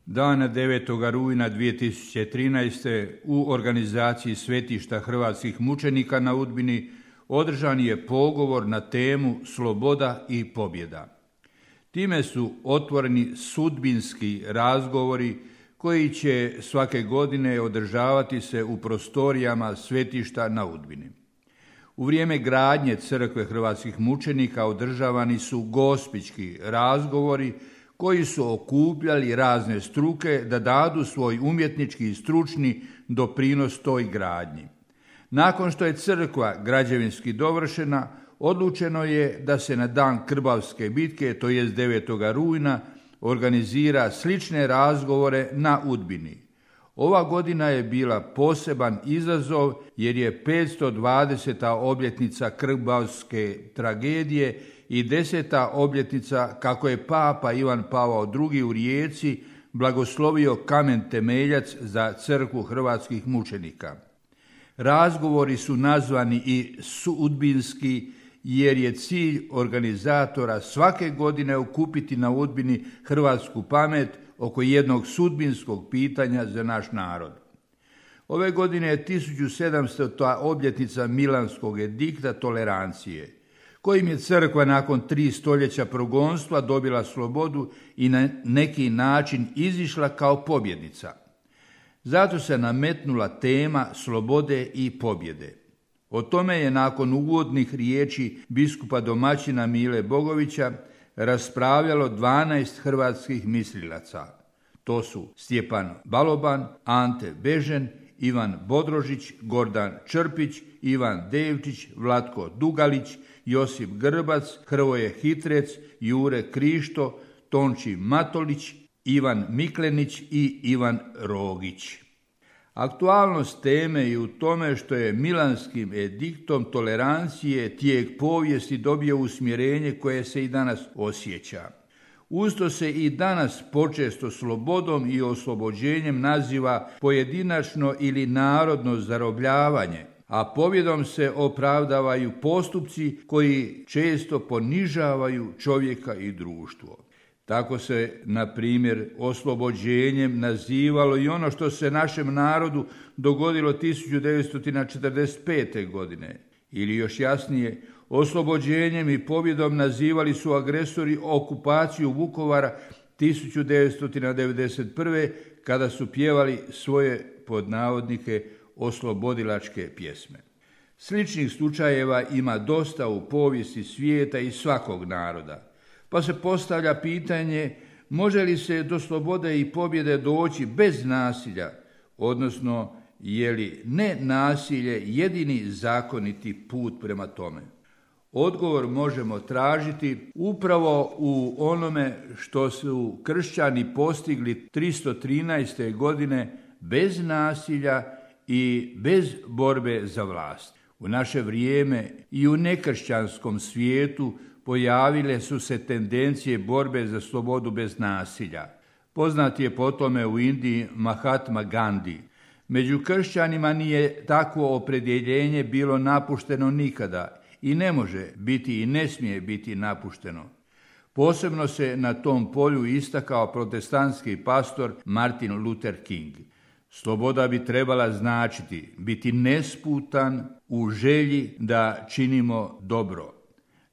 Dana 9. rujna 2013. u organizaciji Svetišta hrvatskih mučenika na Udbini održan je pogovor na temu Sloboda i pobjeda. Time su otvoreni sudbinski razgovori koji će svake godine održavati se u prostorijama Svetišta na Udbini. U vrijeme gradnje crkve hrvatskih mučenika održavani su gospićki razgovori koji su okupljali razne struke da dadu svoj umjetnički i stručni doprinos toj gradnji. Nakon što je crkva građevinski dovršena, odlučeno je da se na dan Krbavske bitke, to jest 9. rujna, organizira slične razgovore na Udbini. Ova godina je bila poseban izazov jer je 520. obljetnica Krbavske tragedije i 10. obljetnica kako je Papa Ivan Pavao II. U Rijeci blagoslovio kamen temeljac za crkvu hrvatskih mučenika. Razgovori su nazvani i sudbinski jer je cilj organizatora svake godine okupiti na Udbini hrvatsku pamet oko jednog sudbinskog pitanja za naš narod. Ove godine je 1700. obljetnica Milanskog edikta tolerancije, kojim je crkva nakon 3 stoljeća progonstva dobila slobodu i na neki način izišla kao pobjednica. Zato se nametnula tema slobode i pobjede. O tome je nakon uvodnih riječi biskupa domaćina Mile Bogovića raspravljalo 12 hrvatskih mislilaca. To su Stjepan Baloban, Ante Bežen, Ivan Bodrožić, Gordan Črpić, Ivan Devčić, Vlatko Dugalić, Josip Grbac, Hrvoje Hitrec, Jure Krišto, Tonči Matolić, Ivan Miklenić i Ivan Rogić. Aktualnost teme je u tome što je Milanskim ediktom tolerancije tijek povijesti dobio usmjerenje koje se i danas osjeća. Usto se i danas počesto slobodom i oslobođenjem naziva pojedinačno ili narodno zarobljavanje, a pobjedom se opravdavaju postupci koji često ponižavaju čovjeka i društvo. Tako se, na primjer, oslobođenjem nazivalo i ono što se našem narodu dogodilo 1945. godine. Ili još jasnije, oslobođenjem i pobjedom nazivali su agresori okupaciju Vukovara 1991. kada su pjevali svoje, pod navodnike, oslobodilačke pjesme. Sličnih slučajeva ima dosta u povijesti svijeta i svakog naroda. Pa se postavlja pitanje, može li se do slobode i pobjede doći bez nasilja, odnosno je li ne nasilje jedini zakoniti put prema tome? Odgovor možemo tražiti upravo u onome što su kršćani postigli 313. godine bez nasilja i bez borbe za vlast. U naše vrijeme i u nekršćanskom svijetu pojavile su se tendencije borbe za slobodu bez nasilja. Poznat je po tome u Indiji Mahatma Gandhi. Među kršćanima nije takvo opredjeljenje bilo napušteno nikada i ne može biti i ne smije biti napušteno. Posebno se na tom polju istakao protestantski pastor Martin Luther King. Sloboda bi trebala značiti biti nesputan u želji da činimo dobro.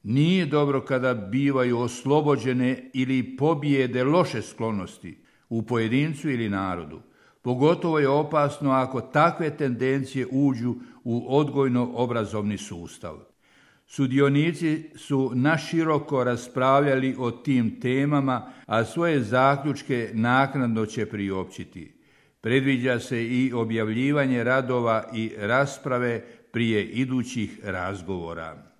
Nije dobro kada bivaju oslobođene ili pobijede loše sklonosti u pojedincu ili narodu. Pogotovo je opasno ako takve tendencije uđu u odgojno-obrazovni sustav. Sudionici su naširoko raspravljali o tim temama, a svoje zaključke naknadno će priopćiti. Predviđa se i objavljivanje radova i rasprave prije idućih razgovora.